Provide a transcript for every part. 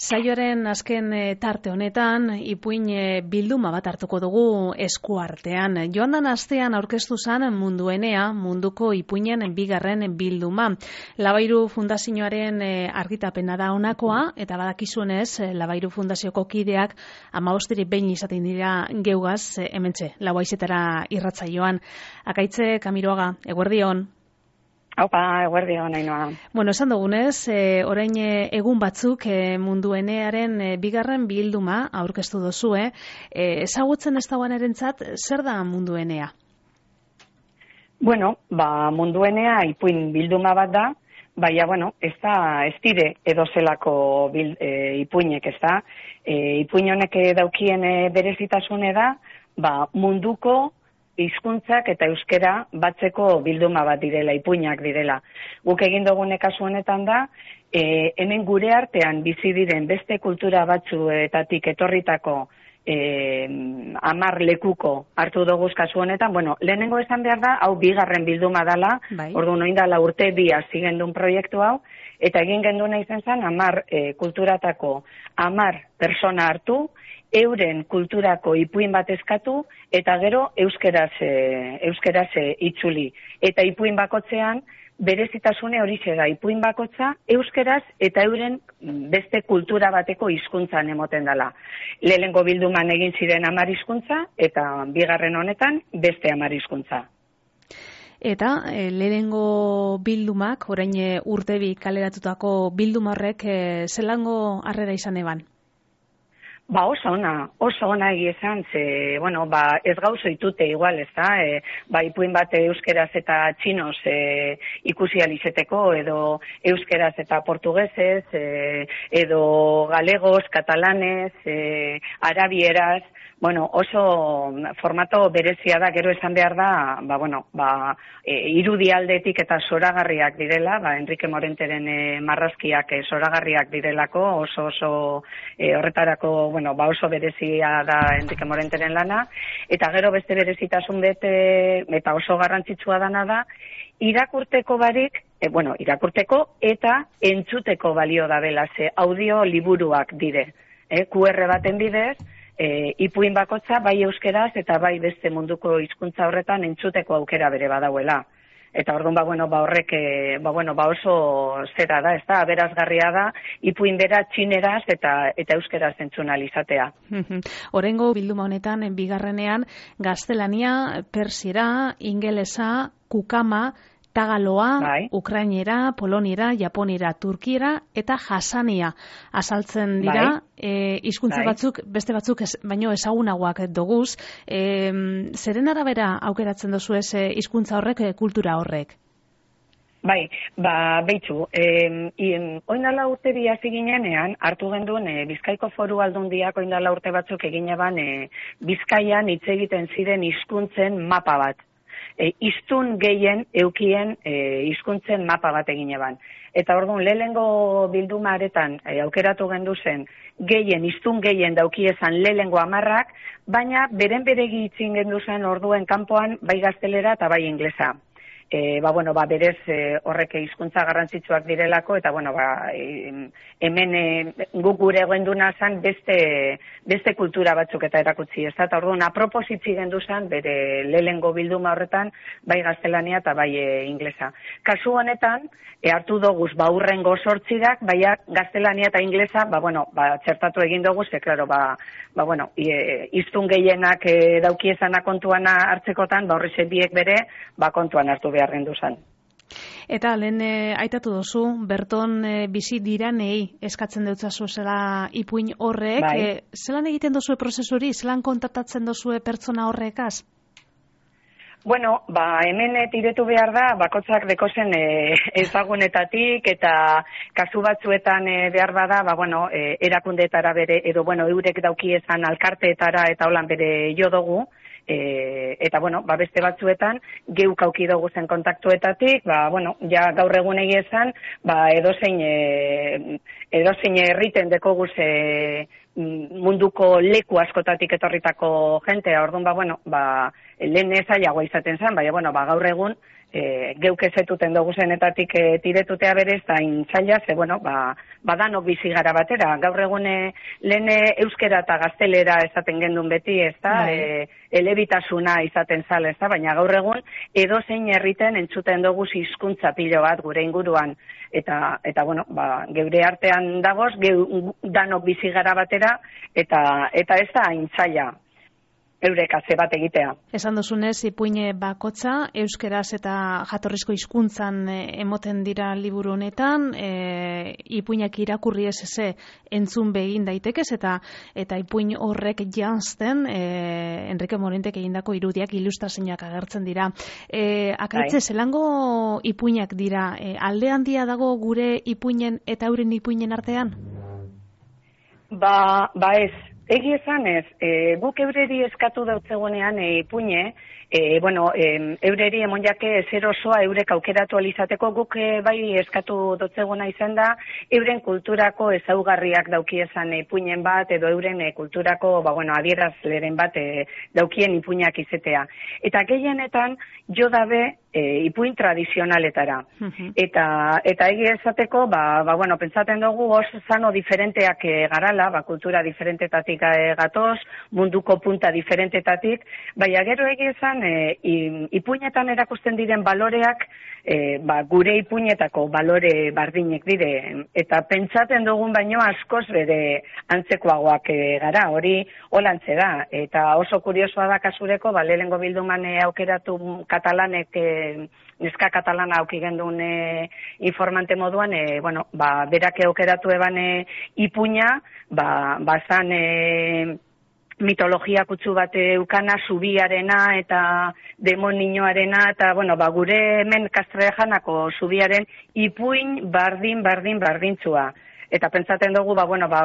Saioaren azken tarte honetan, ipuin bilduma bat hartuko dugu eskuartean. Joandan astean aurkeztu zen Munduenea, munduko ipuinen bigarren bilduma. Labairu Fundazioaren argitapena da honakoa, eta badakizuenez, Labairu Fundazioko kideak 15 behin izaten dira geugaz, hementxe, lauaizetara irratsaioan. Akaitze Kamiroaga, eguerdion. Aupa, eguerdion, Ainoa. Bueno, esan dugunez, orain egun batzuk Munduenearen bigarren bilduma aurkeztu duzue. Ezagutzen ez dagoen erentzat, zer da Munduenea? Bueno, Munduenea ipuin bilduma bat da, baina, ez dire edozelako ipuinek, ez da. Ipuin honek daukien berezitasune da, munduko hizkuntzak eta euskera batzeko bilduma bat direla, ipuinak direla. Guk egin dugune kasu honetan da, hemen gure artean bizi diren beste kultura batzuetatik etorritako 10 lekuko hartu dugu kasu honetan. Lehenengo esan behar da, hau bigarren bilduma dela, orduan oin dela urte bi hasi gendun proiektu hau, eta egin genduna izan zen 10 kulturatako 10 persona hartu, euren kulturako ipuin bat eskatu, eta gero euskeraz itzuli. Eta ipuin bakotzean, berezitasune horixe da, ipuin bakotza, euskeraz eta euren beste kultura bateko hizkuntzan emoten dela. Lehenengo bilduman egin ziren 10 hizkuntza, eta bigarren honetan beste 10 hizkuntza. Eta lehenengo bildumak, orain urtebi kaleratutako bilduma horrek, zelango harrera izan eban? Oso ona egiezan, ez gauzo itute igual, ez da, ipuin bat euskeraz eta txinoz ikusi alizeteko, edo euskeraz eta portugesez, edo galegos, katalanez, arabieraz, oso formato berezia da, gero esan behar da, irudialdetik eta zoragarriak direla, Enrique Morenteren marrazkiak zoragarriak direlako, oso horretarako, oso berezia da Enrique Morenteren lana, eta gero beste berezitasun bete, eta oso garrantzitsua dana da, irakurteko barik, irakurteko eta entzuteko balio da bela, ze audio liburuak dire, QR baten bidez, ipuin bakotza bai euskeraz eta bai beste munduko hizkuntza horretan entzuteko aukera bere badauela. Eta orduan horrek oso zera da, ez da, aberazgarria da, ipuin bera txineraz eta euskeraz entzun alizatea. Orengo bilduma honetan, bigarrenean, gaztelania, persiera, ingelesa, kukama, tagaloa, ukrainera, poloniera, japonera, turkiera eta jasania azaltzen dira, hizkuntza batzuk, beste batzuk baino ezagunagoak doguz. Zeren arabera aukeratzen dozu ez hizkuntza horrek, kultura horrek? Beitzu, oindala urte bi hasi ginenean, hartu genduen Bizkaiko Foru Aldundiak oindala urte batzuk egin eban Bizkaian hitz egiten ziren hizkuntzen mapa bat. Hiztun gehien eukien hizkuntzen mapa bat egin eban. Eta orduan, lehenengo bildumaretan aukeratu gendu zen, hiztun gehien daukiezan lehenengo 10, baina beren beregi itzin gendu zen orduen kanpoan bai gaztelera eta bai inglesa. Berez horrek hizkuntza garrantzitsuak direlako, eta hemen guk gure genduna zen beste kultura batzuk eta erakutsi, ez da, eta orduan apropositzi gendu zen bere lehenengo bilduma horretan bai gaztelania eta bai inglesa. Kasu honetan, hartu doguz urrengo 8, baina gaztelania eta inglesa, txertatu egin dugu, ze, klaro, hiztun gehienak daukiezana kontuana hartzekotan, horrexe biek bere, kontuan hartu behar gendu zen. Eta lehen aitatu dozu, berton bizi diranei eskatzen deutzazu zela ipuin horrek, zelan egiten dozue prozesuri, zelan kontaktatzen dozue pertsona horrekaz? Hemen tiretu behar da, bakotzak dekozen ezagunetatik, eta kasu batzuetan behar bada, erakundeetara bere, edo eurek daukiezan alkarteetara eta holan bere jo dugu, eta beste batzuetan geuk auki dugu zen kontaktuetatik, gaur egun egiezan, edozein herriten dekogu munduko leku askotatik etorritako jentea, orduan lehen ezailagoa izaten zen, baina gaur egun geuk ezetuten dugu zenetatik tiretutea berez, da intzaila, ze, bueno, badanok bizi gara batera. Gaur egune lehen euskera eta gaztelera esaten gendun beti, ez da, elebitasuna izaten zala, ez da, baina gaur egun edozein herriten entzuten dugu hizkuntza pilo bat gure inguruan. Eta bueno, geure artean dagoz, danok bizi gara batera, eta ez da intzaila eureka ze bat egitea. Esan duzunez, ipuine bakotza, euskeraz eta jatorrizko hizkuntzan emoten dira liburu honetan, ipuinak irakurri ez entzun begin daitekez, eta ipuin horrek janzten, Enrique Morentek egindako irudiak, ilustrazioak agertzen dira. Akaitze, zelango ipuinak dira, alde handia dago gure ipuinen eta euren ipuinen artean? Ez. Egi esan ez, guk eureri eskatu dautzegunean ipuine, eureri emonjake zer osoa eurek aukeratu alizateko, guk bai eskatu dotzeguna izan da, euren kulturako ezaugarriak dauki esan ipuinen bat, edo euren kulturako adierazleren bat daukien ipuinak izetea. Eta gehienetan jo dabe ipuin tradizionaletara. Eta egi esateko, pentsaten dugu oso zano diferenteak garala, kultura diferentetatik gatoz, munduko punta diferentetatik, baina gero egi esan, ipuinetan erakusten diren baloreak, gure ipuinetako balore bardinek dire, eta pentsaten dugun baino askoz bere antzekoagoak gara, hori holantze da, eta oso kuriosoa da kasureko, lehengo bilduman aukeratu katalanek, neska katalana auki gendun informante moduan, berak aukeratu eban ipuina, bazan mitologia kutsu bat eukana, zubiarena eta demoninoarena, eta gure hemen Kastrejanako zubiaren ipuin bardintzua. Eta pentsaten dugu,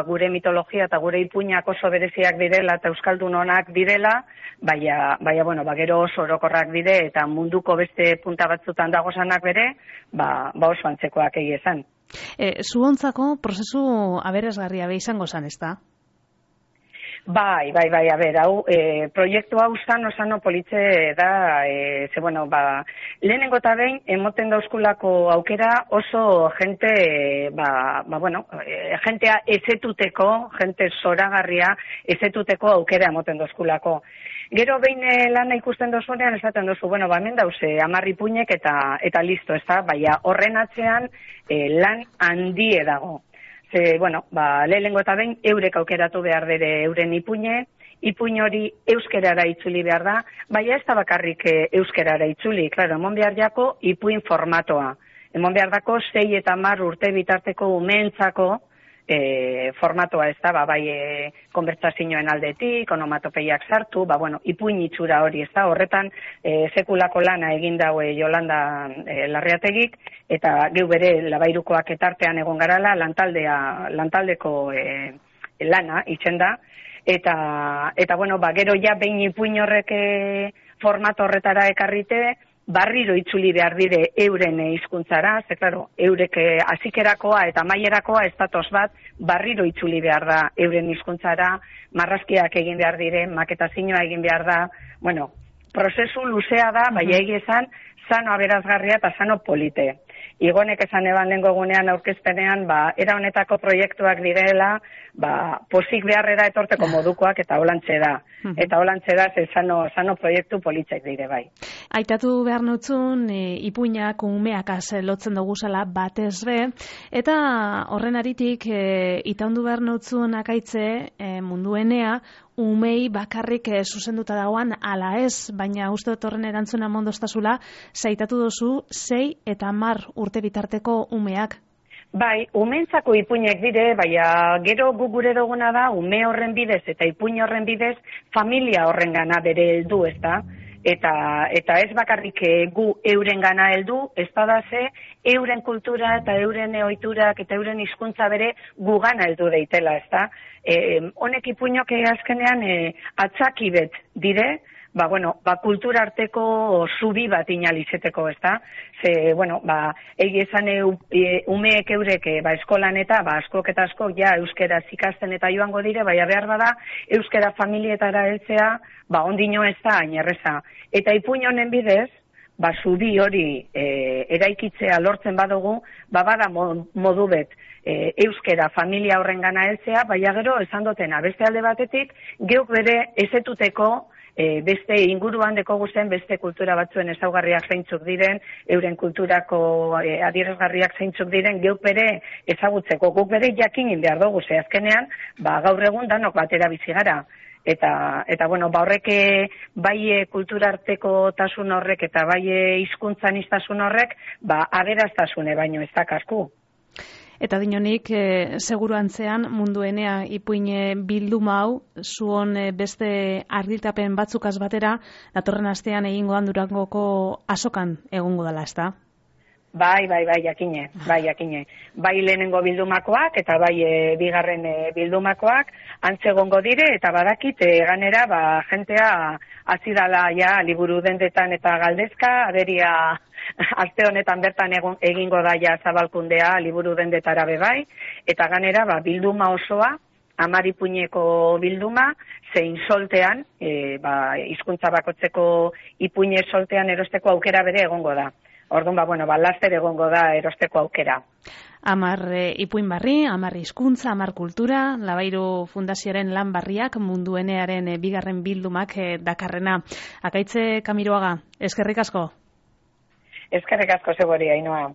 gure mitologia eta gure ipuinak oso bereziak direla eta euskaldun onak direla, baina, gero oso orokorrak dire eta munduko beste punta batzutan dagozanak bere, oso antzekoak egi esan. Zuontzako prozesu aberasgarria izango zan, ez da? Bai, hau, proiektu hau sano politxe da, lehenengo eta behin, emoten dauzkulako aukera oso jentea ezetuteko, jente zoragarria ezetuteko aukera emoten dauzkulako. Gero behin lana ikusten dozunean, esaten dozu, hemen dauze, 10 ipuinek eta listo, ez da, baina horren atzean lan handie dago. Lehenengo eta behin eurek aukeratu behar dere euren ipuin hori euskerara itzuli behar da, baina ez da bakarrik euskerara itzuli, emon behar jako ipuin formatoa. Emon behar dako 6 eta 10 urte bitarteko umeentzako formatoa ez da, konbertsazioen aldetik, onomatopeiak sartu, ipuin itxura hori ez da, horretan sekulako lana egin daue Jolanda Larreategik, eta geu bere Labairukoak etartean egon garala, lantaldeko lana itzen da, eta gero ja behin ipuin horrek formato horretara ekarrite, barriro itzuli behar dire euren hizkuntzara, ze klaro, eurek hazikerakoa eta amaierakoa ez datoz bat, barriro itzuli behar da euren hizkuntzara, marrazkiak egin behar dire, maketazioa egin behar da, prozesu luzea da, bai egi esan, sano aberasgarria eta sano polite. Igonek esan eban lehengo egunean aurkezpenean, era honetako proiektuak direla, pozik beharrera etorteko modukoak eta holantze da. Eta holantze da, sano proiektu politzek dire bai. Aitatu behar nutzun, ipuinak umeak lotzen dugu zela batez be, eta horren aritik, itaundu behar nutzun akaitze munduenea, umei bakarrik zuzenduta dagoan ala ez, baina uste dut horren erantzuna mondostazula, zaitatu dozu 6 eta 10 urte bitarteko umeak. Bai, umeentzako ipuinek dire, baina gero gure duguna da, ume horren bidez eta ipuin horren bidez, familia horren gana bere heldu, ez da? Eta ez bakarrik gu euren gana heldu, ez badaze, euren kultura eta euren ohiturak eta euren hizkuntza bere gu gana heldu deitela, ez da? Honek ipuinok azkenean atzakibet dire, kultura arteko zubi bat inalizeteko, ez da? Ze, egi esan umeek eurek eskolan eta askok eta askok ja euskera ikasten eta joango dire, baina behar bada euskera familietara heltzea ondino ez da hain erreza. Eta ipuin honen bidez, zubi hori eraikitzea lortzen badugu, bada modu bet euskera familia horren gana heltzea, baina gero esan dutena, beste alde batetik, geuk bere ezetuteko beste inguruan dekogu zen beste kultura batzuen ezaugarriak zeintzuk diren, euren kulturako adierazgarriak zeintzuk diren, geuk bere ezagutzeko, guk bere jakinin behar dugu, ze azkenean, gaur egun danok batera bizi gara. Eta bueno, horrek bai kulturarteko tasun horrek eta bai hizkuntzan iztasun horrek, aberastasune baino ez dakasku. Eta dinonik, seguru antzean, munduenea ipuin bilduma hau, zuon beste argiltapen batzukaz batera, datorren astean egingoan Durangoko azokan egongo dela, ezta? Bai, jakine. Bai lehenengo bildumakoak eta bai bigarren bildumakoak antzegongo dire eta badakit ganera jentea hasi dala ja liburu dendetan eta galdezka, aberia aste honetan bertan egingo da ja zabalkundea liburu dendetara bai, eta ganera bilduma osoa, 10 ipuineko bilduma, zein soltean, hizkuntza bakotzeko ipuine soltean erosteko aukera bere egongo da. Orduan, laster egongo da erosteko aukera. 10 ipuin barri, 10 hizkuntza, 10 kultura, Labairo Fundazioaren lan barriak munduenearen bigarren bildumak dakarrena. Akaitze Kamiroaga, eskerrik asko. Eskerrik asko Zebori, Ainhoa.